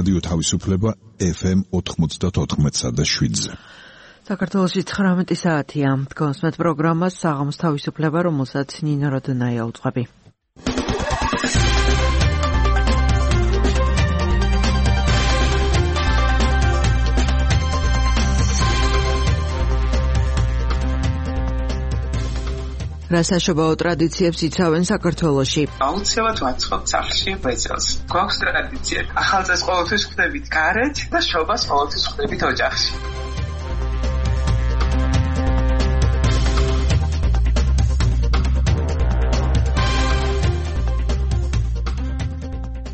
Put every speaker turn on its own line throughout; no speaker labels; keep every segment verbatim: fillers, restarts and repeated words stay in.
რადიო თავისუფლება ეფ ემ ოთხმოცდაოთხ და შვიდზე.
საქართველოში ცხრამეტი საათია. გონსმეთ პროგრამას საღამოს თავისუფლება, რომელსაც ნინო როდონაია უძღვები. რასაშობაო ტრადიციებს იცავენ საქართველოში?
აუცილებლად ვაცხობთ სახლში ბეწელს. გვაქვს ტრადიცია. ახალწელს ყოველთვის ხვდებით გარეთ და შობას ყოველთვის ხვდებით ოჯახში.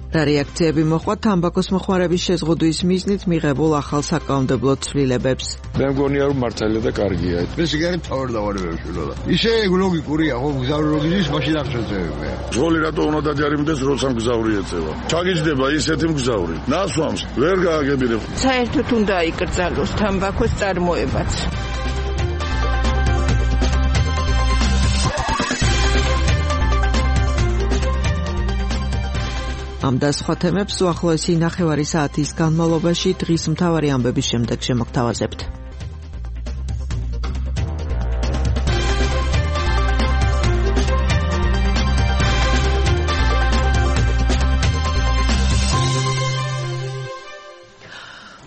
რა რეაქციები მოხდა თამბაქოს მოხმარების შეზღუდვის მიზნით მიღებულ ახალ საკანონმდებლო ცვლილებებს?
მე მგონია რომ მართალია და კარგია.
მე სიგარეტ თავარ დავარებებში რა. ისე ლოგიკურია, ხო გზავრი ლოგიკის მაშინ არ შეწევია.
ძღოლი რატო უნდა დაჯარიმდეს როცა მგზავრი ეწევა? ჩაგიჯდება ისეთი მგზავრი. ნასვამს ვერ გააგებინებ.
საერთოდ უნდა იკრძალოს თამბაქოს წარმოებაც.
ამ და სხვა თემებს უახლოესი ნახევარი საათის განმავლობაში დღის მთავარი ამბების შემდეგ შემოგთავაზებთ.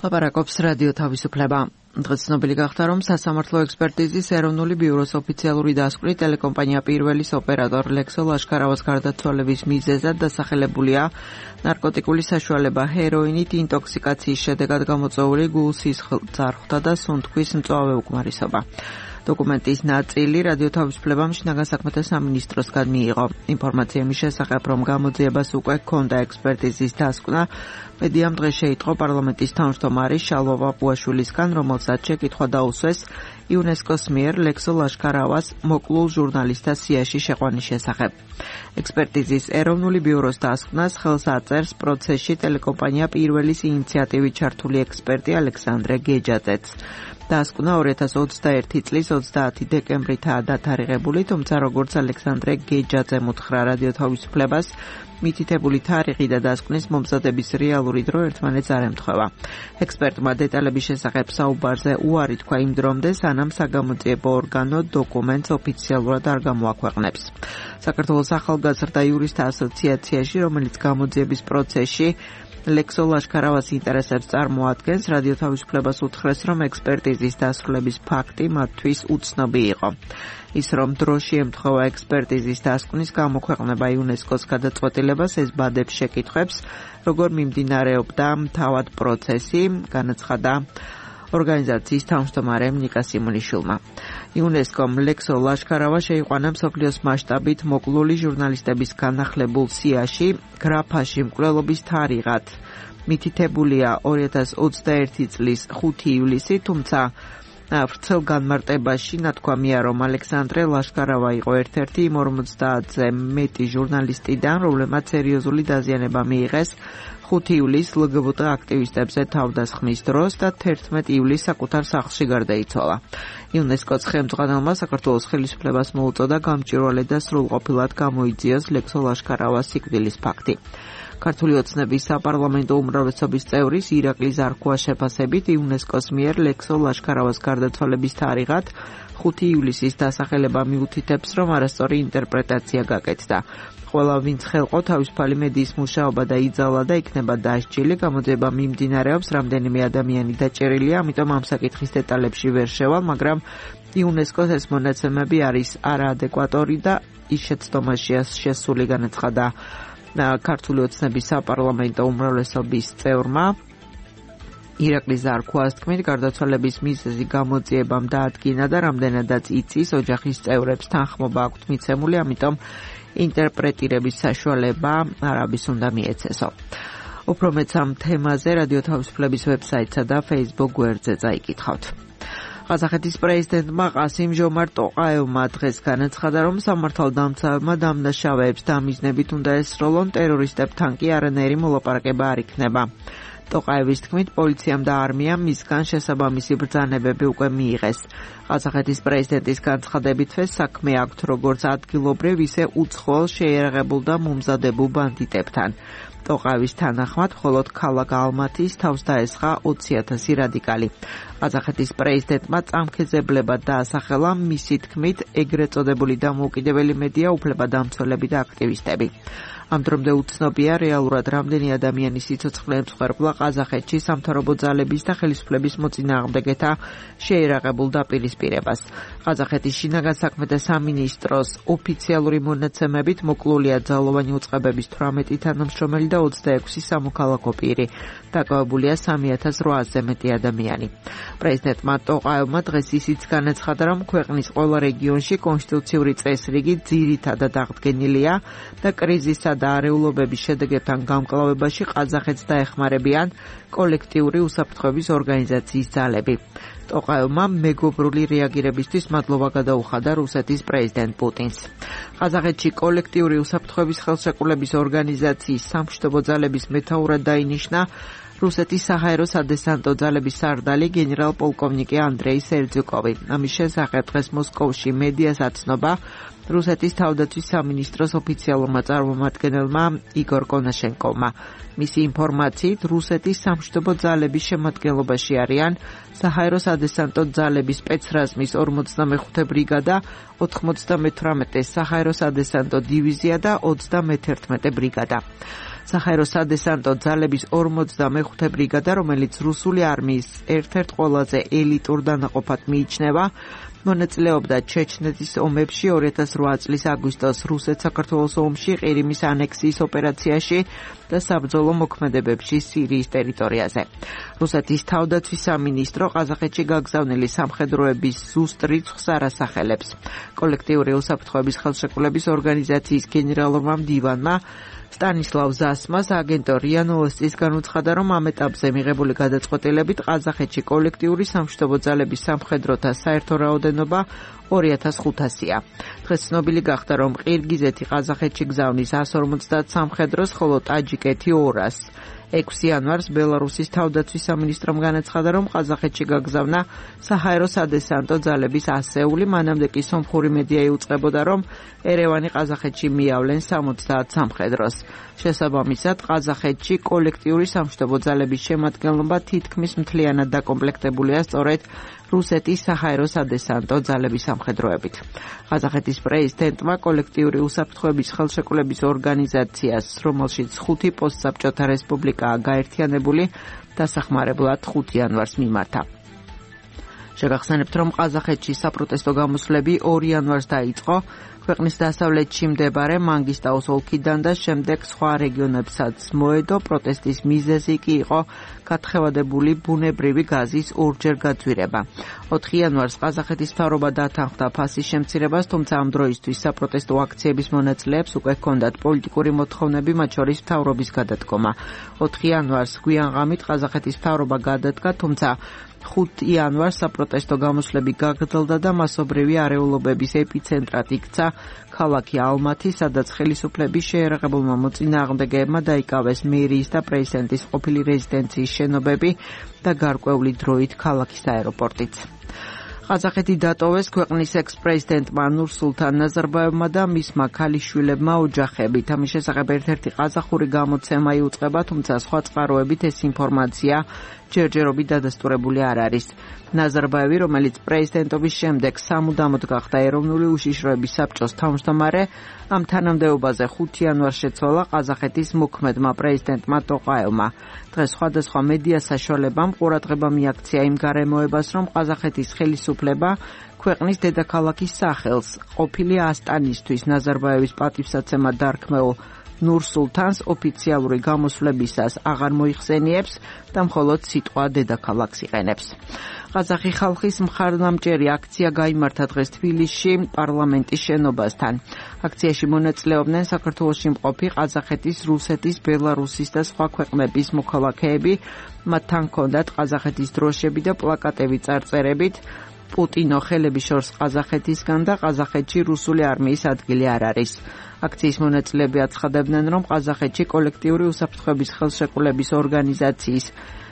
ლაპარაკობს რადიო თავისუფლება. დღეს ცნობილი გახდა, რომ სასამართლო ექსპერტიზის ეროვნული ბიუროს ოფიციალური დასკვნით ტელეკომპანია პირველის ოპერატორ ლექსო ლაშქარავას გარდაცვალების მიზეზად დასახელებულია ნარკოტიკული საშუალება ჰეროინით ინტოქსიკაციის შედეგად გამოწვეული გულსისხლძარღვთა და სუნთქვის მწვავე უკმარისობა. დოკუმენტის ნაწილი რადიო თავისუფლებამ შინაგან საქმეთა სამინისტროსგან მიიღო. ინფორმაცია მის შესახებ, რომ გამოძიებას უკვე ჰქონდა ექსპერტიზის დასკვნა, მედიამ დღეს შეიტყო პარლამენტის თავმჯდომარის შალვა პაპუაშვილისგან, რომელსაც შეკითხვა დაუსვეს იუნესკოს მიერ ლექსო ლაშქარავას მოკლულ ჟურნალისტთა სიაში შეყვანის შესახებ. ექსპერტიზის ეროვნული ბიუროს დასკვნას ხელს აწერს პროცესში ტელეკომპანია პირველის ინიციატივით ჩართული ექსპერტი ალექსანდრე გეჯაძეც. დასკვნა ორი ათას ოცდაერთი წლის ოცდაათი დეკემბრითაა დათარიღებული, თუმცა როგორც ალექსანდრე გეჯაძემ უთხრა რადიო თავისუფლებას, მითითებული თარიღი და დასკვნის მომზადების რეალური დრო ერთმანეთს არ ემთხვევა. ექსპერტმა დეტალების შესახებ საუბარზე უარი თქვა იმ დრომდე, სანამ საგამოძიებო ორგანო დოკუმენტს ოფიციალურად არ გამოაქვეყნებს. საქართველოს ახალგაზრდა იურისტთა ასოციაციაში, რომელიც გამოძიების პროცესში ლექსო ლაშქარავას ინტერესებს წარმოადგენს, რადიო თავისუფლებას უთხრეს, რომ ექსპერტიზის დასრულების ფაქტი მათთვის უცნობი იყო. ის რომ დროში ემთხვევა ექსპერტიზის დასკვნის გამოქვეყნება იუნესკოს გადაწყვეტილებას, ეს ბადებს შეკითხვებს, როგორ მიმდინარეობდა თავად პროცესი, განაცხადა ორგანიზაციის თავმჯდომარემ ნიკა სიმონიშვილმა. იუნესკომ ლექსო ლაშქარავა შეიყვანა მსოფლიოს მასშტაბით მოკლული ჟურნალისტების განახლებულ სიაში გრაფაში მკვლელობის თარიღად. მითითებულია ორი ათას ოცდაერთი წლის ხუთი ივლისი, თუმცა ვრცელ განმარტებაში ნათქვამია, რომ ალექსანდრე ლაშქარავა იყო ერთ-ერთი იმ ორმოცდაათზე მეტი ჟურნალისტიდან, რომლებმაც სერიოზული დაზიანება მიიღეს ხუთი ივლისს ლ გბ ტ აქტივისტებზე თავდასხმის დროს და თერთმეტი ივლისს საკუთარ სახლში გარდაიცვალა. იუნესკოს ხელმძღვანელმა საქართველოს ხელისუფლებას მოუწოდა გამჭვირვალე და სრულყოფილად გამოიძიოს ლექსო ლაშქარავას სიკვდილის ფაქტი. ქართული ოცნების საპარლამენტო უმრავლესობის წევრის ირაკლი ზარქუას შეფასებით იუნესკოს მიერ ლექსო ლაშქარავას გარდაცვალების თარიღად ხუთი ივლისის დასახელება მიუთითებს, რომ არასწორი ინტერპრეტაცია გაკეთდა. ყველა ვინც ხელყო თავისუფალი მედიის მუშაობა და იძალა და იქნება დასჯილი, გამოძიება მიმდინარეობს, რამდენიმე ადამიანი დაჭერილია, ამიტომ ამ საკითხის დეტალებში ვერ შევალ, მაგრამ იუნესკოს ეს მონაცემები არის არაადეკვატური და ის შეცდომაშია შესული, განაცხადა ქართული ოცნების საპარლამენტო უმრავლესობის წევრმა. ირაკლი ზარქუას თქმით, გარდაცვალების მიზეზი გამოძიებამ დაადგინა და რამდენადაც იცის, ოჯახის წევრებს თანხმობა აქვთ მიცემული, ამიტომ ინტერპრეტირების საშუალება არაბის უნდა მიეცესო. უფრო მეც ამ თემაზე რადიო თავისუფლების ვებსაიტსა და Facebook გვერდზე წაიკითხავთ. ყაზახეთის პრეზიდენტმა ყასიმ ჟომართ ტოყაევმა დღეს განაცხადა, რომ სამართალდამცავებმა დამნაშავეებს დამიზნებით უნდა ესროლონ, ტერორისტებთან კი არანაირი მოლაპარაკება არ იქნება. ტოყაევის თქმით, პოლიციამ და არმიამ მისგან შესაბამისი ბრძანებები უკვე მიიღეს. ყაზახეთის პრეზიდენტის განცხადებითვე საქმე აქვთ როგორც ადგილობრივ, ისე უცხოელ შეიარაღებულ და მომზადებულ ბანდიტებთან. ტოყაევის თანახმად, მხოლოდ ქალაქ ალმათის თავს დაესხა ოცი ათასი რადიკალი. ყაზახეთის პრეზიდენტმა წამქეზებლებად დაასახელა მისი თქმით ეგრეთ წოდებული დამოუკიდებელი მედია უფლებადამცველები და აქტივისტები. ამ დრომდე უცნობია რეალურად რამდენი ადამიანის სიცოცხლე ემსხვერპლა ყაზახეთში სამთავრობო ძალების და ხელისუფლების მოწინააღმდეგეთა შეერაღებულ დაპირისპირებას. ყაზახეთის შინაგან საქმეთა სამინისტროს ოფიციალური მონაცემებით მოკლულია ძალოვანი უწყებების თვრამეტი თანამშრომელი და ოცდაექვსი სამოქალაქო პირი. დაკავებულია სამი ათას რვაასზე მეტი ადამიანი. პრეზიდენტმა ტოყაევმა დღეს ისიც განაცხადა, რომ ქვეყნის ყველა რეგიონში კონსტიტუციური წესრიგი ძირითადად აღდგენილია და კრიზისსა და არეულობების შედეგებთან გამკლავებაში ყაზახეთს დაეხმარებიან კოლექტიური უსაფრთხოების ორგანიზაციის ძალები. ტოყაევმა მეგობრული რეაგირებისთვის მადლობა გადაუხადა რუსეთის პრეზიდენტ პუტინს. ყაზახეთში კოლექტიური უსაფრთხოების ხელშეკრულების ორგანიზაციის სამშვიდობო ძალების მეთაურად დაინიშნა რუსეთის საჰაერო სადესანტო ძალების სარდალი გენერალ-პოლკოვნიკი ანდრეი სერძუკოვი. ამის შესახებ დღეს მოსკოვში მედიას აცნობა რუსეთის თავდაცვის სამინისტროს ოფიციალურმა წარმომადგენელმა იგორ კონაშენკოვმა. მისი ინფორმაციით, რუსეთის სამშვიდობო ძალების შემადგენლობაში არიან საჰაერო სადესანტო ძალების სპეცრაზმის ორმოცდამეხუთე ბრიგადა, ოთხმოცდამეთვრამეტე საჰაერო სადესანტო დივიზია და ოცდამეთერთმეტე ბრიგადა. საჰაერო სადესანტო ძალების ორმოცდამეხუთე ბრიგადა, რომელიც რუსული არმიის ერთ-ერთ ყველაზე ელიტურ დანაყოფად მიიჩნევა, მონაწილეობდა ჩეჩნეთის ომებში ორი ათას რვა წლის აგვისტოს რუსეთ-საქართველოს ომში, ყირიმის ანექსიის ოპერაციაში და საბრძოლო მოქმედებებში სირიის ტერიტორიაზე. რუსეთის თავდაცვის სამინისტრო ყაზახეთში გაგზავნილი სამხედროების ზუსტ რიცხვს არ ასახელებს. კოლექტიური უსაფრთხოების ხელშეკრულების ორგანიზაციის გენერალურმა მდივანმა სტანისლავ ზასმას აგენტო რია ნოვოსტის განუცხადა, რომ ამ ეტაპზე მიღებული გადაწყვეტილებით ყაზახეთში კოლექტიური სამშვიდობო ძალების სამხედროთა საერთო რაოდენობა ორი ათას ხუთასია. დღეს ცნობილი გახდა, რომ ყირგიზეთი ყაზახეთში გზავნის ასს ორმოცდაათ სამხედროს, ხოლო ტაჯიკეთი ორას. ექვსი იანვარს ბელარუსის თავდაცვის სამინისტრომ განაცხადა, რომ ყაზახეთში გაგზავნა საჰაერო სადესანტო ძალების ასეული, მანამდე კი სომხური მედია იუწყებოდა, რომ ერევანი ყაზახეთში მიავლენ სამოცდაათ სამხედროს. შესაბამისად, ყაზახეთში კოლექტიური სამშვიდობო ძალების შემადგენლობა თითქმის მთლიანად დაკომპლექტებულია სწორედ რუსეთის საჰაერო სადესანტო ძალების სამხედროებით. ყაზახეთის პრეზიდენტმა კოლექტიური უსაფრთხოების ხელშეკრულების ორგანიზაციას, რომელშიც ხუთი პოსტსაბჭოთა რესპუბლიკაა გაერთიანებული, დასახმარებლად ხუთი იანვარს მიმართა. შეგახსენებთ, რომ ყაზახეთში საპროტესტო გამოსვლები ორი იანვარს დაიწყო, ქვეყნის დასავლეთში მდებარე მანგისტაუს ოლქიდან და შემდეგ სხვა რეგიონებსაც მოედო. პროტესტის მიზეზი კი იყო გათხევადებული ბუნებრივი გაზის ორჯერ გაძვირება. ოთხი იანვარს ყაზახეთის მთავრობა დათანხმდა ფასის შემცირებას, თუმცა ამ დროისთვის საპროტესტო აქციების მონაწილეებს უკვე ჰქონდათ პოლიტიკური მოთხოვნები, მათ შორის მთავრობის გადადგომა. ოთხი იანვარს გვიან ღამით ყაზახეთის მთავრობა გადადგა, თუმცა ხუთი იანვარს საპროტესტო გამოსვლები გაგრძელდა და მასობრივი არეულობების ეპიცენტრად იქცა ქალაქი ალმათი, სადაც ხელისუფლების შეერაღებულმა მოწინააღმდეგეებმა დაიკავეს მერიის და პრეზიდენტის ყოფილი რეზიდენციის შენობები და გარკვეული დროით ქალაქის აეროპორტიც. ყაზახეთი დატოვეს ქვეყნის ექს-პრეზიდენტმა ნურსულთან ნაზარბაევმა და მისმა ქალიშვილებმა ოჯახებით. ამის შესახებ ერთ-ერთი ყაზახური გამოცემა იუწყება, თუმცა სხვა წყაროებით ეს ინფორმაცია ჯერჯერობით დადასტურებული არ არის. ნაზარბაევი, რომელიც პრეზიდენტობის შემდეგ სამუდამოდ გახდა ეროვნული უშიშროების საბჭოს თავმჯდომარე, ამ თანამდებობაზე ხუთი იანვარს შეცვალა ყაზახეთის მოქმედმა პრეზიდენტმა ტოყაევმა. დღეს სხვადასხვა მედია საშუალებამ ყურადღება მიაქცია იმ გარემოებას, რომ ყაზახეთის ხელისუფლება ქვეყნის დედაქალაქის სახელს ყოფილი ასტანისთვის ნაზარბაევის პატივსაცემად დარქმეულ ნურსულთანს ოფიციალური გამოსვლებისას აღარ მოიხსენიებს და მხოლოდ სიტყვა დედაქალაქს იყენებს. ყაზახი ხალხის მხარდამჭერი აქცია გაიმართა დღეს თბილისში პარლამენტის შენობასთან. აქციაში მონაწილეობდნენ საქართველოში მყოფი ყაზახეთის, რუსეთის, ბელარუსის და სხვა ქვეყნების მოქალაქეები. მათთან ჰქონდათ ყაზახეთის დროშები და პლაკატები წარწერებით პუტინო ხელების შორს ყაზახეთისგან და ყაზახეთში რუსული არმიის ადგილი არ არის. აქციის მონაწილეები აცხადებდნენ, რომ ყაზახეთში კოლექტიური უსაფრთხოების ხელშეკრულების ორგანიზაციის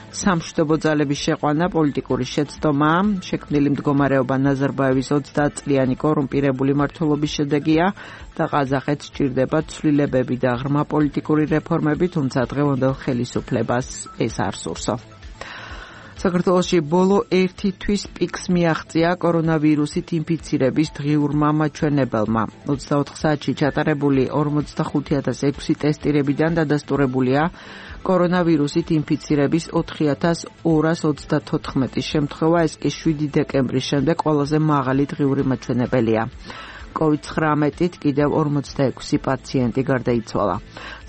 სამშვიდობო ძალების შეყვანა, პოლიტიკური შეცდომა, შექმნილი მდგომარეობა ნაზარბაევის ოცდაათ წლიანი კორუმპირებული მმართველობის შედეგია და ყაზახეთს სჭირდება ცვლილებები და ღრმა პოლიტიკური რეფორმები, თუმცა დღევანდელ ხელისუფლებას ეს არ სურსო. საქართველოში ბოლო ერთი თვის პიკს მიაღწია კორონავირუსით ინფიცირების დღიურმა მაჩვენებელმა. ოცდაოთხ საათში ჩატარებული ორმოცდახუთი ათას ექვსი ტესტირებიდან დადასტურებულია კორონავირუსით ინფიცირების ოთხი ათას ორას ოცდათოთხმეტი შემთხვევა, ეს კი შვიდი დეკემბრის შემდეგ ყველაზე მაღალი დღიური მაჩვენებელია. კოვიდ ცხრამეტით კიდევ ორმოცდაექვსი პაციენტი გარდაიცვალა.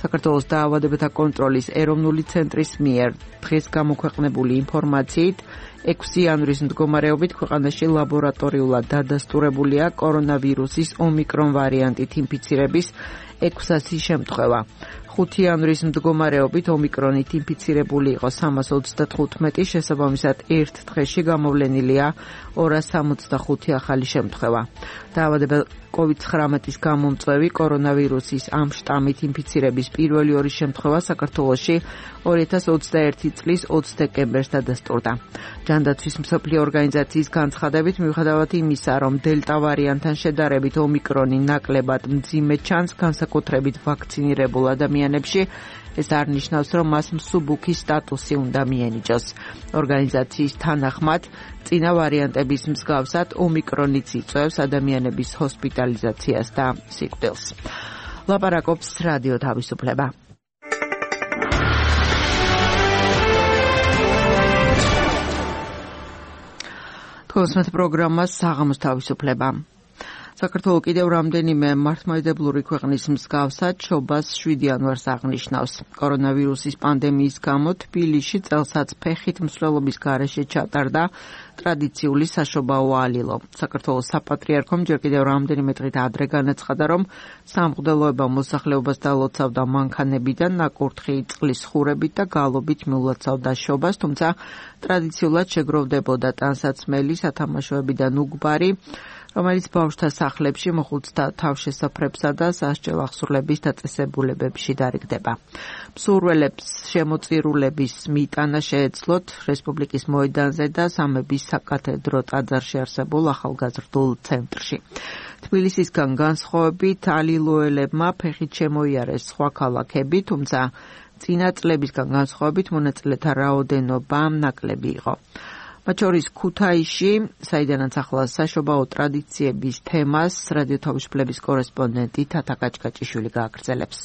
საქართველოს დაავადებათა კონტროლის ეროვნული ცენტრის მიერ დღეს გამოქვეყნებული ინფორმაციით ექვსი იანვრის მდგომარეობით ქვეყანაში ლაბორატორიულად დადასტურებულია კორონავირუსის ომიკრონ ვარიანტით ინფიცირების ექვსასი შემთხვევა. ხუთი იანვრის მდგომარეობით ომიკრონით ინფიცირებული იყო სამას ოცდათხუთმეტი, შესაბამისად ერთ დღეში გამოვლენილია ორას სამოცდახუთი ახალი შემთხვევა. დაავადებელ კოვიდ ცხრამეტის გამომწვევი კორონავირუსის ამ შტამით ინფიცირების პირველი ორი შემთხვევა საქართველოში ორი ათას ოცდაერთი წლის ოცდაათი დეკემბერს დადასტურდა. ჯანდაცვის მსოფლიო ორგანიზაციის განცხადებით, მიუხედავად იმისა, რომ დელტა ვარიანტთან შედარებით ომიკრონი ნაკლებად მძიმე ჩანს განსაკუთრებით ვაქცინირებულ ადამიანებში, ეს არ ნიშნავს, რომ მას მსუბუქი სტატუსი უნდა მიენიჭოს. ორგანიზაციის თანახმად, წინა ვარიანტების მსგავსად ომიკრონიც იწვევს ადამიანების ჰოსპიტალიზაციას და სიკვდილს. ლაპარაკობს რადიო თავისუფლება. თქოსმეთ პროგრამას საღამოს თავისუფლება. საქართველო კიდევ რამდენიმე მართლმადიდებლური ქვეყნის მსგავსად შობას შვიდი იანვარს აღნიშნავს. კორონავირუსის პანდემიის გამო თბილისში წელსაც ფეხით მსვლელობის გარეშე ჩატარდა ტრადიციული საშობაო ალილო. საქართველოს საპატრიარქომ ჯერ კიდევ რამდენიმე დღით ადრე განაცხადა, რომ სამღვდელოება მოსახლეობას დალოცავდა მანქანებიდან, ნაკურთხი წყლის ხურებით და გალობით მიულოცავდა შობას, თუმცა ტრადიციულად შეგროვდებოდა ტანსაცმელი, სათამაშოებიდან უგბარი, რომელიც ბავშვთა სახლებში, მოხუცთა თავშესაფრებსა და სასჯელ აღსრულების დაწესებულებებში დარიგდება. მსურველებს შემოწირულების მიტანა შეეძლოთ რესპუბლიკის მოედანზე და სამების საკათედრო ტაძარში არსებულ ახალგაზრდულ ცენტრში. თბილისისგან განსხვავებით ალილოელებმა ფეხით შემოიარეს სხვა ქალაქები, თუმცა წინა წლებისგან განსხვავებით მონაწილეთა რაოდენობა ნაკლები იყო. მათ შორის ქუთაისში, საიდანაც ახლა საშობაო ტრადიციების თემას რადიო თავისუფლების კორესპონდენტი თათა კაჭკაჭიშვილი გააგრძელებს.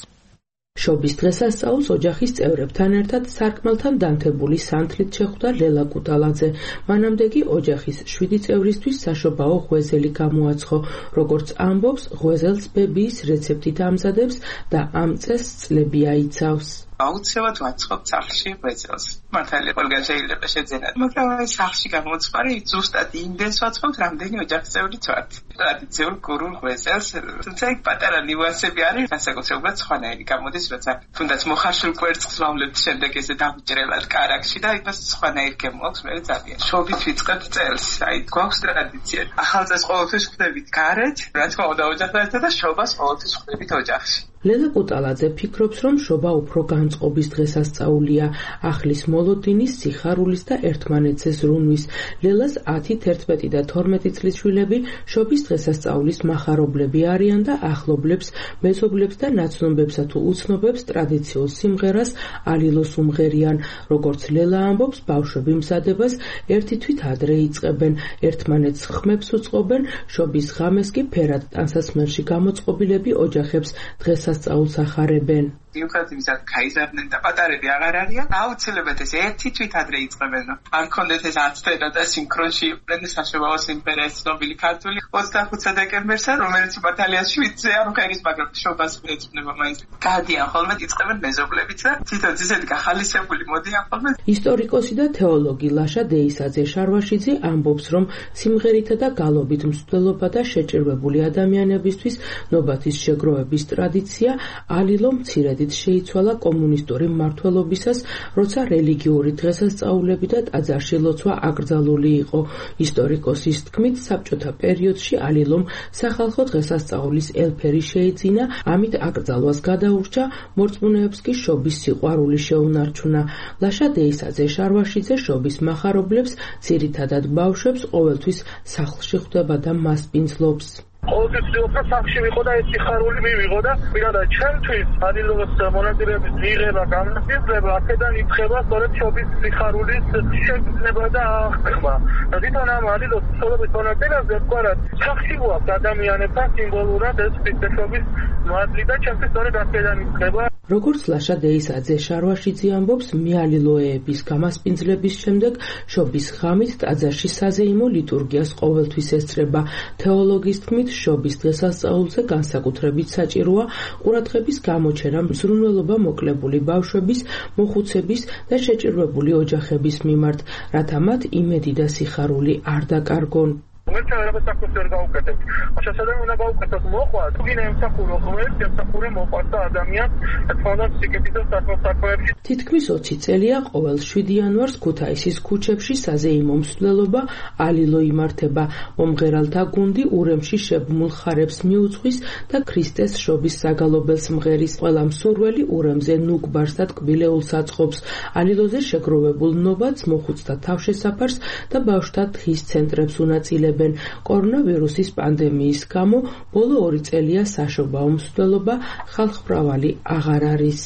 შობის დღესასწაულს ოჯახის წევრებთან ერთად სარკმელთან დანთებული სანთლით შეხვდა ლელა კუტალაძე. მანამდე კი ოჯახის შვიდი წევრისთვის საშობაო ღვეზელი გამოაცხო. როგორც ამბობს, ღვეზელს ბებიის რეცეპტით ამზადებს და ამ წესს წლები აიცავს.
აუცილებლად ვაწყობ სახლში ღვეზელს. მართალია ყველგან შეიძლება შეძენათ, მაგრამ აი სახლში გამოწყარი ზუსტად იმდენს ვაწყობთ, რამდენი ოჯახის წევრიც ვართ. ტრადიციულ გურულ ღვეზელს, თუმცა იქ პატარა ნიუანსები არის, განსაკუთრებულად სხვანაირი გამოდის, როცა თუნდაც მოხარშულ კვერცხს ვავლებთ შემდეგ ესე დამჭრელად კარაქში და იმას სხვანაირი გემოაქვს მე ძალიან. შობით ვიწყებთ წელს, აი გვაქვს ტრადიცია. ახალწელს ყოველთვის ხვდებით გარეთ, რა თქმა უნდა ოჯახთან და შობას ყოველთვის ხვდებით ოჯახში.
ლელა კუტალაძე ფიქრობს, რომ შობა უფრო განწყობის დღესასწაულია, ახლის მოლოდინის, სიხარულის და ერთმანეთზე ზრუნვის. ლელას ათი, თერთმეტი და თორმეტი წლის შვილები შობის დღესასწაულის მახარებლები არიან და ახლობლებს, მეზობლებს და ნაცნობებსა თუ უცნობებს ტრადიციულ სიმღერას ალილოს უმღერიან. როგორც ლელა ამბობს, ბავშვები მზადებას ერთი თვით ადრე იწყებენ, ერთმანეთს ხმებს უწყობენ, შობის ღამეს კი ფერად ტანსაცმელში გამოწყობილები ოჯახებს დღესასწაულს სწაულს ახარებენ.
მიუხედავად იმისა, გაიზარდნენ და პატარები აღარ არიან, აუცილებლად ეს ერთი თვით ადრე იწყებენ. არ კონდეთ ეს აცდენა და სინქრონში იყვნენ საშობაო სიმღერა ეს ცნობილი ქართული ოცდახუთი დეკემბერსა, რომელიც მართალია შვიდზე არ ხერის, მაგრამ შობას ეძღვნება მაინც. გადიან ხოლმე იწყებენ მეზობლებიც და თვითონ ისეთი გახალისებული მოდიან ხოლმე.
ისტორიკოსი და თეოლოგი ლაშა დეისაძე შარვაშიძე ამბობს, რომ სიმღერითა და გალობით მსვლელობა და შეჭირვებული ადამიანებისთვის ნობათის შეგროვების ტრადიცია ალილო მცირედი თერთმეტით შეიცვალა კომუნისტური მმართველობისას, როცა რელიგიური დღესასწაულები და ტაძარში ლოცვა აკრძალული იყო. ისტორიკოსის თქმით, საბჭოთა პერიოდში ალილომ სახალხო დღესასწაულის ელფერი შეიძინა, ამით აკრძალვას გადაურჩა, მორწმუნეებს კი შობის სიყვარული შეუნარჩუნა. ლაშა დეისაძე შარვაშიძე შობის მახარებლებს, ძირითადად ბავშვებს, ყოველთვის სახლში ხვდება და მასპინძლობს.
ყოველთვის ვიღო სახში ვიყო და ეს სიხარული მივიღო და პირადად ჩემთვის ალილოს მონაწილეობის მიღება, გამოსწორება აქედან იწყება სწორედ შობის სიხარულის შეგრძნება და აღქმა. თვითონ ამ ალილოს ცხოვრების მონაწილეებზე ვთქვათ, სახში გვაქვს ადამიანებთან სიმბოლურად ეს ქრისტესობის მადლი და ჩემთვის სწორედ აქედან იწყება.
როგორც ლაშა დეისაძე შარვაშიძე ამბობს, მიალილოეების გამასპინძლების შემდეგ შობის ღამით ტაძარში საზეიმო ლიტურგიას ყოველთვის ესწრება. თეოლოგის თქმით, შობის დღესასწაულზე განსაკუთრებით საჭიროა ყურადღების გამოჩენა მზრუნველობა მოკლებული ბავშვების, მოხუცების და შეჭირვებული ოჯახების მიმართ, რათა მათ იმედი და სიხარული არ დაკარგონ.
Merchant era să se răgăute. Așa să dăm una baucă tot moqua. Tu vine în sacul rohmer, în sacul moqasta adamia, et fondat სიკეთითო საქმეებში.
თითქმის ოცი წელია ყოველ შვიდი იანვარს ქუთაისის ქუჩებში საზეიმო მსვლელობა ალილო იმართება. მომღერალთა გუნდი ურემში შებმულ ხარებს მიუძღვის და ქრისტეს შობის საგალობელს მღერის. ყველა მსურველი ურემზე ნუგბარს და ტკბილეულს აწყობს. ალილოზე შეგროვებულ ნოვადს მოხუცთა თავშესაფარს და ბავშვთა დღის ცენტრებს უნაწილებს. კორონავირუსის პანდემიის გამო ბოლო ორი წელია საშობაო მსვლელობა ხალხმრავალი აღარ არის.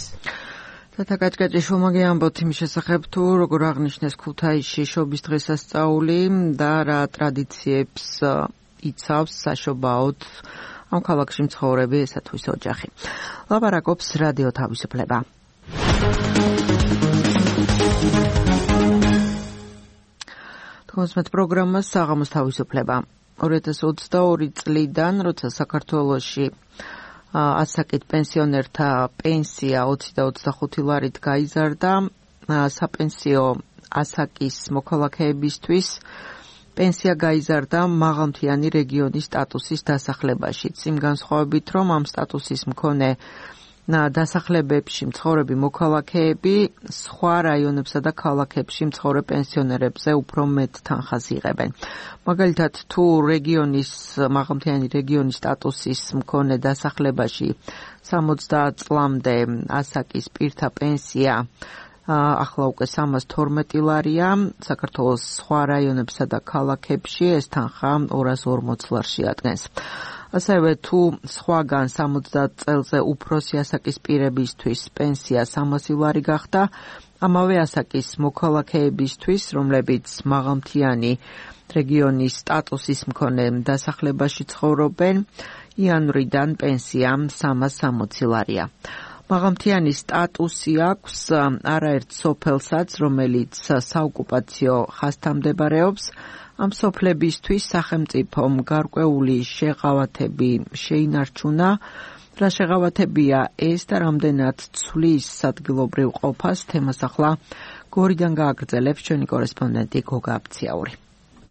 თათა კაჭკაჭიშვილმა გეამბოთ იმ შესახებ, თუ როგორ აღნიშნეს ქუთაისში შობის დღესასწაული და რა ტრადიციებს იცავს საშობაოდ ამ ქალაქში მცხოვრები ესა თუ ის ოჯახი. ლაპარაკობს რადიო თავისუფლება. თქოსმეთ პროგრამას საღამოს თავისუფლება. ორი ათას ოცდაორი წლიდან, როცა საქართველოში ასაკით პენსიონერთა პენსია ოცი და ოცდახუთი ლარით გაიზარდა, საპენსიო ასაკის მოქალაქეებისთვის პენსია გაიზარდა მაღალმთიანი რეგიონის სტატუსის დასახლებაშიც. იმ განსხვავებით, რომ ამ სტატუსის მქონე დასახლებებში მცხოვრები მოქალაქეები სხვა რაიონებსა და ქალაქებში მცხოვრებ პენსიონერებზე უფრო მეტ თანხას იღებენ. მაგალითად, თუ რეგიონის მაღალმთიანი რეგიონის სტატუსის მქონე დასახლებაში სამოცდაათ წლამდე ასაკის პირთა პენსია ახლა უკვე სამას თორმეტი ლარია, საქართველოს სხვა რაიონებსა და ქალაქებში ეს თანხა ორას ორმოც ლარს შეადგენს. ასევე თუ სხვაგან სამოცდაათ წელზე უფროსი ასაკის პირებისთვის პენსია სამასი ლარი გახდა, ამავე ასაკის მოქალაქეებისთვის, რომლებიც მაღალმთიანი რეგიონის სტატუსის მქონე დასახლებაში ცხოვრობენ, იანვრიდან პენსია სამას სამოცი ლარია. მაღალმთიანი სტატუსი აქვს არაერთ სოფელსაც, რომელიც საოკუპაციო ხაზთან მდებარეობს. ამ სოფლებისთვის სახელმწიფომ გარკვეული შეღავათები შეინარჩუნა. რა შეღავათებია ეს და რამდენად ცვლის ადგილობრივ ყოფას, თემას ახლა გორიდან გააგრძელებს ჩვენი კორესპონდენტი გოგა აბციაური.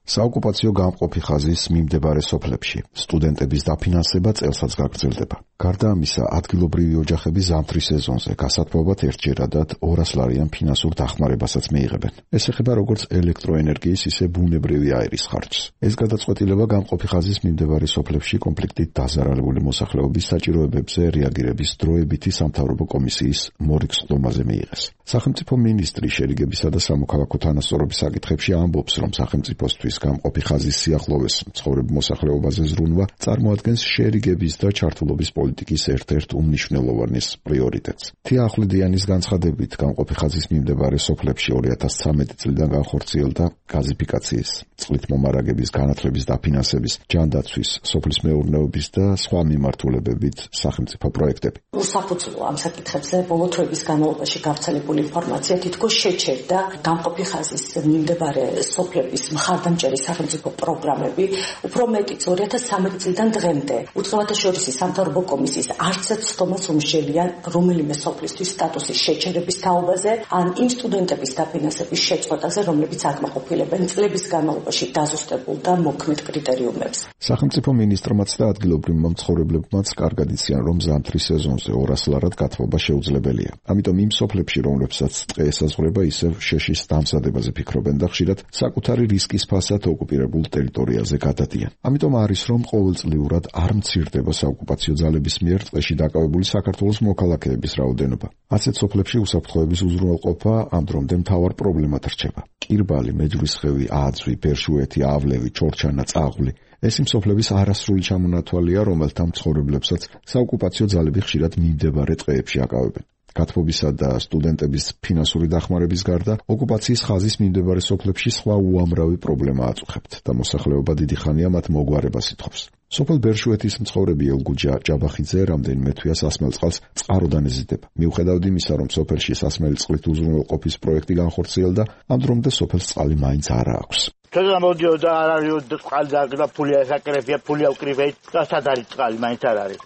საოკუპაციო გამყოფი ხაზის მიმდებარე სოფლებში სტუდენტების დაფინანსება წელსაც გაგრძელდება. გარდა ამისა, ადგილობრივი ოჯახები ზამთრის სეზონზე გასათბობად ერთჯერადად ორას ლარიან ფინანსურ დახმარებასაც მიიღებენ. ეს ეხება როგორც ელექტროენერგიის, ისე ბუნებრივი აირის ხარჯს. ეს გადაწყვეტილება გამყოფი ხაზის მიმდებარე სოფლებში კონფლიქტით დაზარალებული მოსახლეობის საჭიროებებზე რეაგირების დროებითი სამთავრობო კომისიის მორიგსხდომაზე მიიღეს. სახელმწიფო მინისტრი შერიგებისა და სამოქალაქო თანასწორობის საკითხებში ამბობს, რომ სახელმწიფოსთვის გამყოფი ხაზის სიახლოვეს მცხოვრებ მოსახლეობაზე ზრუნვა წარმოადგენს შერიგების და ჩართულობის პოლიტიკის ერთ-ერთ უმნიშვნელოვანეს პრიორიტეტს. თია ახვლედიანის განცხადებით, გამყოფი ხაზის მიმდებარე სოფლებში ორი ათას ცხრამეტი წლიდან განხორციელდა გაზიფიკაციის, წყლით მომარაგების, განათლების დაფინანსების, ჯანდაცვის, სოფლის მეურნეობის და სხვა მიმართულებებით სახელმწიფო პროექტები.
უსაფუძვლო ამ საკითხებზე ბოლო თვეების განმავლობაში გავრცელებული ინფორმაცია თითქოს შეჩერდა გამყოფი ხაზის მიმდებარე სოფლების მხარდამჭერ ორჯერ სახელმწიფო პროგრამები, უფრო მეტიც ორი ათას სამი წლიდან დღემდე. უწყებათა შორისი სამთავრობო კომისიის არც ერთ სხდომას უმსჯელიან რომელიმე სოფლისთვის სტატუსის შეჩერების თაობაზე, ან იმ სტუდენტების დაფინანსების შეწყვეტაზე, რომლებიც აკმაყოფილებენ წლების განმავლობაში დაზუსტებულ და მოქმედ კრიტერიუმებს.
სახელმწიფო მინისტრმაც და ადგილობრივმა მცხოვრებლებმაც კარგად იციან, რომ ზამთრის სეზონზე ორასლარად გათბობა შეუძლებელია. ამიტომ იმ სოფლებში, რომლებსაც ტყე ესაზღვრება, ისევ შეშის დამზადებაზე ფიქრობენ და ხშირად საკუთარი რისკის ფასად ოკუპირებულ ტერიტორიაზე გადადიან. ამიტომ არის, რომ ყოველწლიურად არ მცირდება საოკუპაციო ძალების მიერ ტყეში დაკავებული საქართველოს მოქალაქეების რაოდენობა. ასეთ სოფლებში უსაფრთხოების უზრუნველყოფა ამ დრომდე მთავარ პრობლემად რჩება. კირბალი, მეჯვრისხევი, აძვი, ბერშუეთი, ავლევი, ჩორჩანა, წაღვლი. ეს იმ სოფლების არასრული ჩამონათვალია, რომელთა მცხოვრებლებსაც საოკუპაციო ძალები ხშირად მიმდებარე ტყეებში აკავებენ. გათბობისა და სტუდენტების ფინანსური დახმარების გარდა, ოკუპაციის ხაზის მიმდებარე სოფლებში სხვა უამრავი პრობლემა აწუხებთ და მოსახლეობა დიდი ხანია მათ მოგვარებას ითხოვს. სოფელ ბერშუეთის მცხოვრები ელგუჯა ჭაბახიძე რამდენიმე თვეა სასმელ წყალს წყაროდან ეზიდება. მიუხედავად იმისა, რომ სოფელში სასმელი წყლით უზრუნველყოფის პროექტი განხორციელდა, ამ დრომდე სოფელს წყალი მაინც არ აქვს.
თორემ მოდიოდა არ არის წყალი და ფულია საკრებია, ფულია უკრივეთ და სად არის წყალი, მაინც არ არის.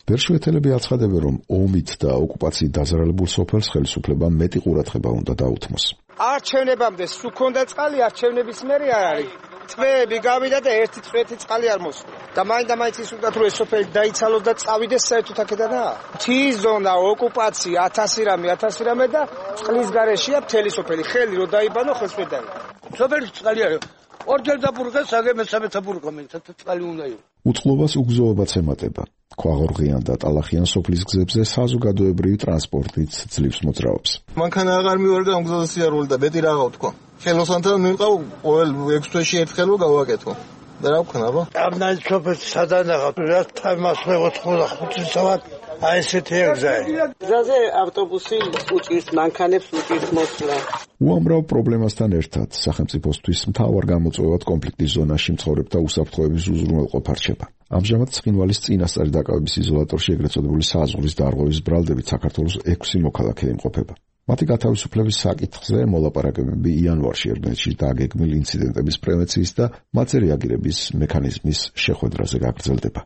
ბერშუეთელები აცხადებენ, რომ ომით და ოკუპაციით დაზარალებულ სოფელს ხელისუფლებამ მეტი ყურადღება უნდა დაუთმოს.
არჩევნებამდე სულ ქონდა წყალი, არჩევნების მერე არ არის. წვეები გავიდა და ერთი წვეთი წყალი არ მოსულა. და მაინც და მაინც ის უნდა თუ ეს სოფელი დაიცალოს და წავიდეს საერთოდ აქედანა. მთის ზონა, ოკუპაცია, ათასი რამე, ათასი რამე და წყლის გარეშეა მთელი სოფელი. ხელი რო დაიბანო, ხელს ვერ დაიბანო.
სოფელი წყალი არის. ორჯერ დაბურღეს, აგე მესამე დაბურღა, მე წყალი უნდა იყოს.
უწყლობას უგზოობაც ემატება. ქვაღორღიან და ტალახიან სოფლის გზებზე საზოგადოებრივი ტრანსპორტით ძლივს მოძრაობს.
მანქანა აღარ მივარდა ამ გზაზე სიარული და მეტი რა გავთქვა. ხელოსანთან მივყავ ყოველ ექვს თვეში ერთხელ რო გავაკეთო. და რა ვქნა, აბა?
ამნაირ სოფელს სადანახავ, რა თამას მეოთხმოცდახუთი საათ აი ესეთი ეგზაა.
გზაზე ავტობუსი უჭირს მანქანებს, უჭირს მოსვლა.
უამრავ პრობლემასთან ერთად სახელმწიფოსთვის მთავარ გამოწვევად კონფლიქტის ზონაში მცხოვრებთა უსაფრთხოების უზრუნველყოფა რჩება. ამჟამად ცხინვალის წინასწარი დაკავების იზოლატორში ეგრეთ წოდებული საზღვრის დარღვევის ბრალდებით საქართველოს ექვსი მოქალაქე იმყოფება. მათი გათავისუფლების საკითხზე მოლაპარაკებები იანვარში ერბენეთში დაგეგმილ ინციდენტების პრევენციის და მათზე რეაგირების მექანიზმის შეხვედრაზე გაგრძელდება.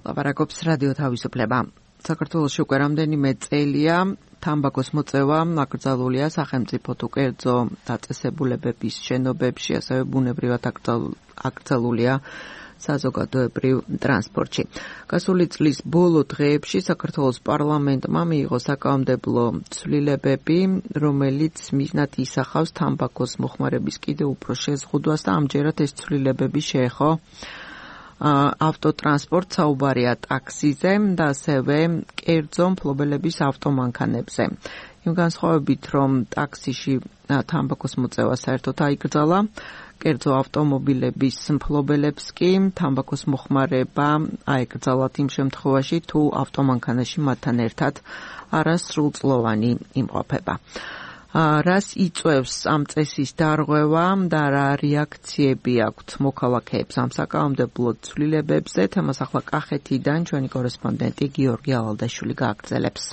ლაპარაკობს რადიო თავისუფლება. საქართველოში უკვე რამდენიმე წელია თამბაქოს მოწევა აკრძალულია სახელმწიფო თუ კერძო დაწესებულებების შენობებში, ასევე ბუნებრივად აკრძალულია საზოგადოებრივ ტრანსპორტში. გასული წლის ბოლო დღეებში საქართველოს პარლამენტმა მიიღო საკანონმდებლო ცვლილებები, რომელიც მიზნად ისახავს თამბაქოს მოხმარების კიდევ უფრო შეზღუდვას და ამჯერად ეს ცვლილებები შეეხო ავტოტრანსპორტ, საუბარია ტაქსიზე და ასევე კერძო მფლობელების ავტომანქანებზე. იმ განსხვავებით, რომ ტაქსიში თამბაქოს მოწევა საერთოდ აიკრძალა, კერძო ავტომობილების მფლობელებს კი თამბაქოს მოხმარება აეკრძალათ იმ შემთხვევაში, თუ ავტომანქანაში მათთან ერთად არასრულწლოვანი იმყოფება. რას იწვევს ამ წესის დარღვევა და რა რეაქციები აქვთ მოქალაქეებს ამ საკანონმდებლო ცვლილებებზე? თემას ახლა კახეთიდან ჩვენი კორესპონდენტი გიორგი ალალდაშვილი გააგრძელებს.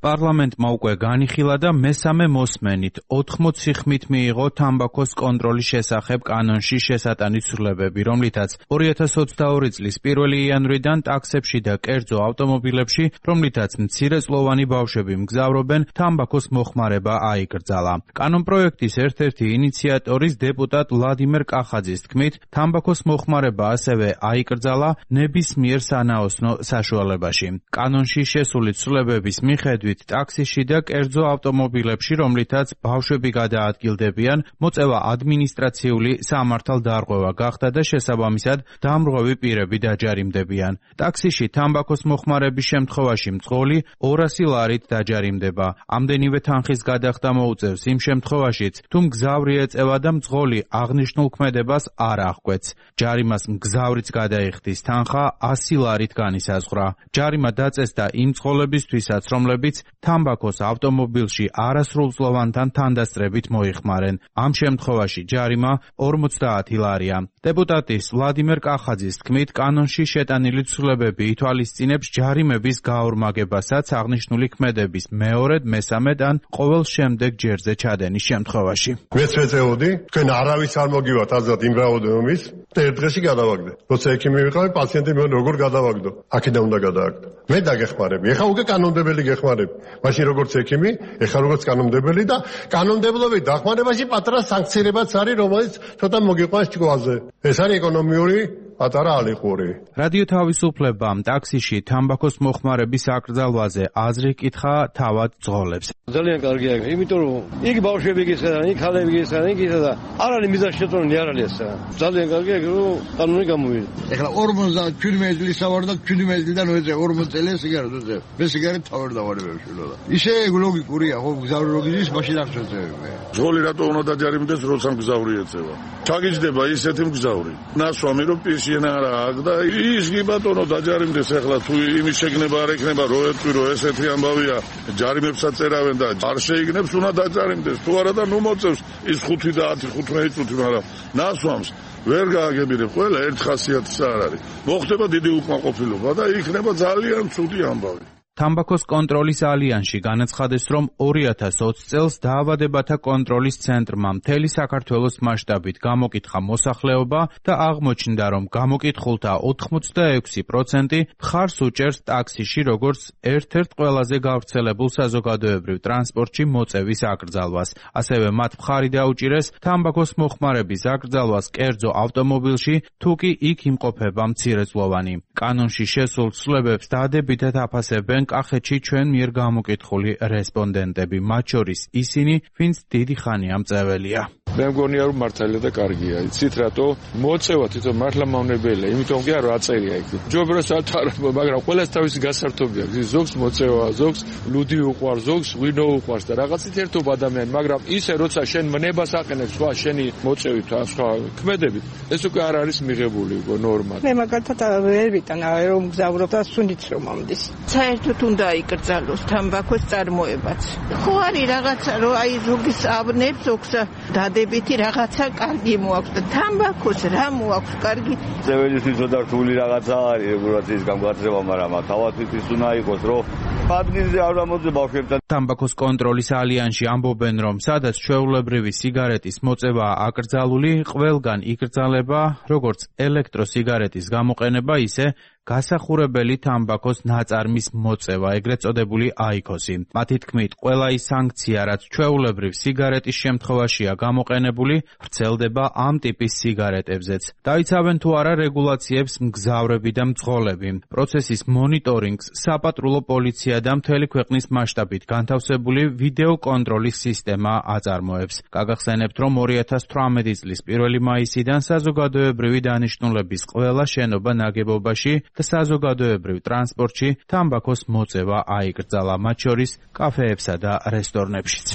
პარლამენტმა უკვე განიხილა და მესამე მოსმენით ოთხმოცი ხმით მიიღო თამბაქოს კონტროლის შესახებ კანონში შესატანის ცვლილებები, რომლითაც ორი ათას ოცდაორი წლის პირველი იანვრიდან ტაქსებში და კერძო ავტომობილებში, რომლითაც მცირეწლოვანი ბავშვები მგზავრობენ, თამბაქოს მოხმარება აიკრძალა. კანონპროექტის ერთ-ერთი ინიციატორის დეპუტატ ვლადიმერ კახაძის თქმით, თამბაქოს მოხმარება ასევე აიკრძალა ნებისმიერ სანაოსნო საშუალებაში. კანონში შესული ცვლილებების მიხედვით ტაქსიში და კერძო ავტომობილებში, რომლითაც ბავშვები გადაადგილდებიან, მოწევა ადმინისტრაციული სამართალდარღვევა გახდა და შესაბამისად დამრღვევი პირები დაჯარიმდებიან. ტაქსიში თამბაქოს მოხმარების შემთხვევაში მძღოლი ორასი ლარით დაჯარიმდება. ამდენივე თანხის გადახდა მოუწევს იმ შემთხვევაშიც, თუ მგზავრი ეწევა და მძღოლი აღნიშნულ ქმედებას არ აღკვეთს. ჯარიმას მგზავრიც გადაიხდის, თანხა ასი ლარით განისაზღვრა. ჯარიმა დაწესდა იმ მძღოლებისთვისაც, რომლებიც თამბაქოს ავტომობილში არასრულწლოვანთან თანდასწრებით მოიხმარენ. ამ შემთხვევაში ჯარიმა ორმოცდაათი ლარია. დეპუტატის ვლადიმერ კახაძის თქმით, კანონში შეტანილი ცვლილებები ითვალისწინებს ჯარიმების გაორმაგებასაც აღნიშნული ქმედების მეორედ, მესამედ ან ყოველ შემდეგ ჯერზე ჩადენის შემთხვევაში.
მეც ვეწეოდი, თქვენ არავის არ მოგივათ აზრად იმ რაოდენობის, და ერთ დღეში გადავაგდე. როცა ექიმი ვიყავი, პაციენტი მე როგორ გადავაგდო? აქედან უნდა გადავაგდო. მე დაგეხმარები. ეხა უკვე კანონმდებელი გეხმარები. მაშინ როგორც ექიმი, ეხა როგორც კანონმდებელი და კანონმდებლობის დახმარებაში პატარა სანქციებიც არის, რომელიც ცოტა მოგიყვანს ჭკუაზე. ეს არის ეკონომიური პატარა ალიხური.
რადიო თავისუფლებამ ტაქსიში თამბაქოს მოხმარების აკრძალვაზე აზრი კითხა თავად ძღოლებს.
ძალიან კარგია, იმიტომ რომ იქ ბავშვები გისადა, იქ ხალები გისადა, იქ ისადა. არ არის მიზანს შეწონილი, არ არის ესა. ძალიან კარგია, რომ კანონი გამოვიდა.
ეხლა ორმოცდაშვიდი წლის ავარ და შვიდი წლიდან ვეძე ორმოცი წელი სიგარეტ ვეძე. მე სიგარეტ თავარ დავარებ შვილო. ისე ლოგიკურია, ხო გზავრი ლოგიზის მაშინ არ შეძებე.
ძღოლი რატო უნდა დაჯარიმდეს, როცა მგზავრი ეწევა? ჩაგიჯდება ისეთი მგზავრი. ნასვამი რომ პირშიენ არა აქ და ის კი ბატონო დაჯარიმდეს ეხლა თუ იმის შეგნება არ ექნება რო ეტყვი რომ ესეთი ამბავია ჯარიმებსაც წერავენ და არ შეიგნებს უნდა დაჯარიმდეს თუ არა და ნუ მოწევს ის ხუთი და ათი ხუთმეტი წუთი მაგრამ ნასვამს ვერ გააგებინებ ყველა ერთ ხასიათის არ არის მოხდება დიდი უკმაყოფილება და იქნება ძალიან ცუდი ამბავი.
თამბაქოს კონტროლის ალიანსში განაცხადეს, რომ ორი ათას ოცი წელს დაავადებათა კონტროლის ცენტრმა მთელი საქართველოს მასშტაბით გამოკითხა მოსახლეობა და აღმოჩნდა, რომ გამოკითხულთა ოთხმოცდაექვსი პროცენტი მხარს უჭერს ტაქსიში როგორც ერთ-ერთ ყველაზე გავრცელებულ საზოგადოებრივ ტრანსპორტში მოწევის აკრძალვას. ასევე მათ მხარი დაუჭირეს თამბაქოს მოხმარების აკრძალვას კერძო ავტომობილში, თუ კი იქ იმყოფება მცირეწლოვანი. კანონში შესულ ცვლილებებს დადებითად აფასებენ კახეთში ჩვენ მიერ გამოკითხული რესპონდენტები, მათ შორის ისინი, ვინც დიდი ხანია მწეველია.
მე მგონია რომ მართალია და კარგია. იცით რატო? მოწევა თვითონ მართლა მავნებელია, იმიტომ კი არ აწერია იქ. ჯობროსაც არ, მაგრამ ყველას თავისი გასართობი აქვს. ზოგს მოწევა, ზოგს ლუდი უყვარს, ზოგს ღვინო უყვარს და რაღაცით ერთობა ადამიანი, მაგრამ ისე როცა შენ მნებას აყენებს სხვა შენი მოწევით სხვა ქმედებით, ეს უკვე არ არის მიღებული უკვე ნორმა.
მე მაგალითად ვერ ვიტანა რომ მგზავრობ და სუნდიც რომ მომდის. საერთოდ უნდა იკრძალოს თამბაქოს წარმოებაც. ხო არის რაღაცა რომ აი ზოგის ავნებს ზოგს დადებითი რაღაცა კარგი მოაქვს და თამბაქოს რა მოაქვს კარგი.
ძეველისთვის ცოტა რთული რაღაცა არის რეგულაციის გამგაცრება, მაგრამ თავადვით ის უნდა იყოს რომ პადნიზე არ ამოძე ბავშვებთან.
თამბაქოს კონტროლის ალიანსში ამბობენ, რომ სადაც ჩვეულებრივი სიგარეტის მოწევა აკრძალული, ყველგან იკრძალება როგორც ელექტროსიგარეტის გამოყენება, ისე გასახურებელი თამბაქოს ნაწარმის მოწევა, ეგრეთ წოდებული აიქოსი. მათი თქმით, ყველა ის სანქცია, რაც ჩვეულებრივ სიგარეტის შემთხვევაშია გამოყენებული, ვრცელდება ამ ტიპის სიგარეტებზეც. დაიცავენ თუ არა რეგულაციებს მგზავრები და მძღოლები. პროცესის მონიტორინგს საპატრულო პოლიცია და მთელი ქვეყნის მასშტაბით განთავსებული ვიდეო კონტროლის სისტემა აწარმოებს. გაგახსენებთ, რომ ორი ათას თვრამეტი წლის პირველი მაისიდან საზოგადოებრივი დანიშნულების ყველა შენობა ნაგებობაში და საზოგადოებრივ ტრანსპორტში თამბაქოს მოწევა აიკრძალა, მათ შორის კაფეებსა და რესტორნებშიც.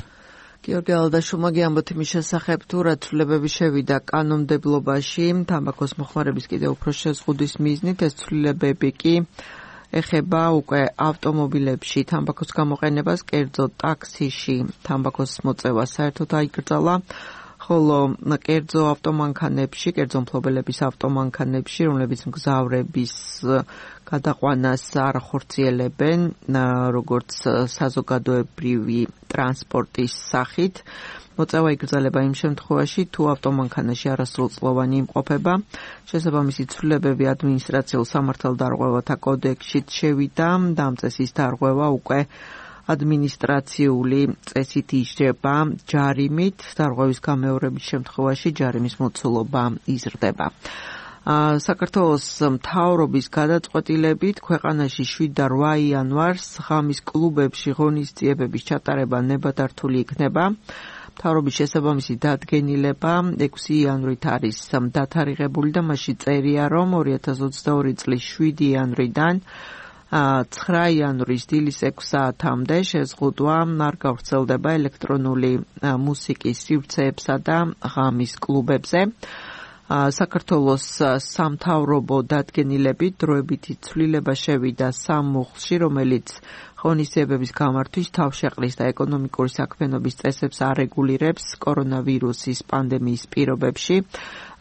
გიორგი ალდაშუმაგი ამბობთ იმის შესახებ, თუ რა ცვლილებები შევიდა კანონმდებლობაში თამბაქოს მოხმარების კიდევ უფრო შეზღუდვის მიზნით, ეს ცვლილებები კი ეხება უკვე ავტომობილებში თამბაქოს გამოყენებას, კერძო ტაქსიში თამბაქოს მოწევა საერთოდ აიკრძალა. ხოლო კერძო ავტომანქანებში, კერძო მფლობელების ავტომანქანებში, რომლებიც მგზავრების გადაყვანას არ ახორციელებენ, როგორც საზოგადოებრივი ტრანსპორტის სახით, მოწევა იკრძალება იმ შემთხვევაში, თუ ავტომანქანაში არასრულწლოვანი იმყოფება. შესაბამისი ცვლილებები ადმინისტრაციულ სამართალდარღვევათა კოდექსშიც შევიდა და ამ წესის დარღვევა უკვე ადმინისტრაციული წესით იჯდება ჯარიმით, დარღვევის გამეორების შემთხვევაში ჯარიმის მოცულობა იზრდება. საქართველოს მთავრობის გადაწყვეტილებით ქვეყანაში შვიდ და რვა იანვარს ღამის კლუბებში ღონისძიებების ჩატარება ნებადართული იქნება. მთავრობის შესაბამისი დადგენილება ექვსი იანვრით არის დათარიღებული და მასში წერია, რომ ორი ათას ოცდაორი წლის შვიდი იანვრიდან ცხრა იანვრის დილის ექვს საათამდე შეზღუდვა არ გავრცელდება ელექტრონული მუსიკის სივრცეებსა და ღამის კლუბებზე. საქართველოს სამთავრობო დადგენილებით დროებითი ცვლილება შევიდა სამ მუხლში, რომელიც ღონისძიებების გამართვის თავშეყრის და ეკონომიკური საქმიანობის წესებს არეგულირებს კორონავირუსის პანდემიის პირობებში.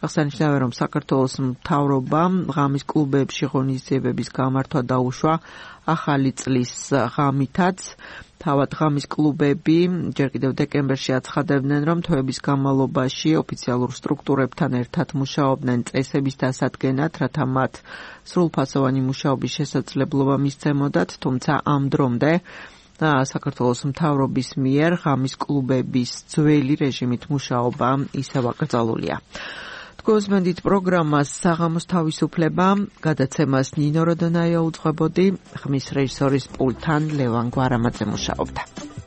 აღსანიშნავია, რომ საქართველოს მთავრობამ ღამის კლუბებში ღონისძიებების გამართვა დაუშვა ახალი წლის ღამითაც. თავად ღამის კლუბები ჯერ კიდევ დეკემბერში აცხადებდნენ, რომ თვეების განმავლობაში ოფიციალურ სტრუქტურებთან ერთად მუშაობდნენ წესების დასადგენად, რათა მათ სრულფასოვანი მუშაობის შესაძლებლობა მისცემოდათ, თუმცა ამ დრომდე საქართველოს მთავრობის მიერ ღამის კლუბების ძველი რეჟიმით მუშაობა ისევ აკრძალულია. გოსმენდით პროგრამას საღამოს თავისუფლება, გადაცემას ნინო როდონაია უძღვებოდი, ხმის რეჟისორის პულტთან ლევან გვარამაძე მუშაობდა.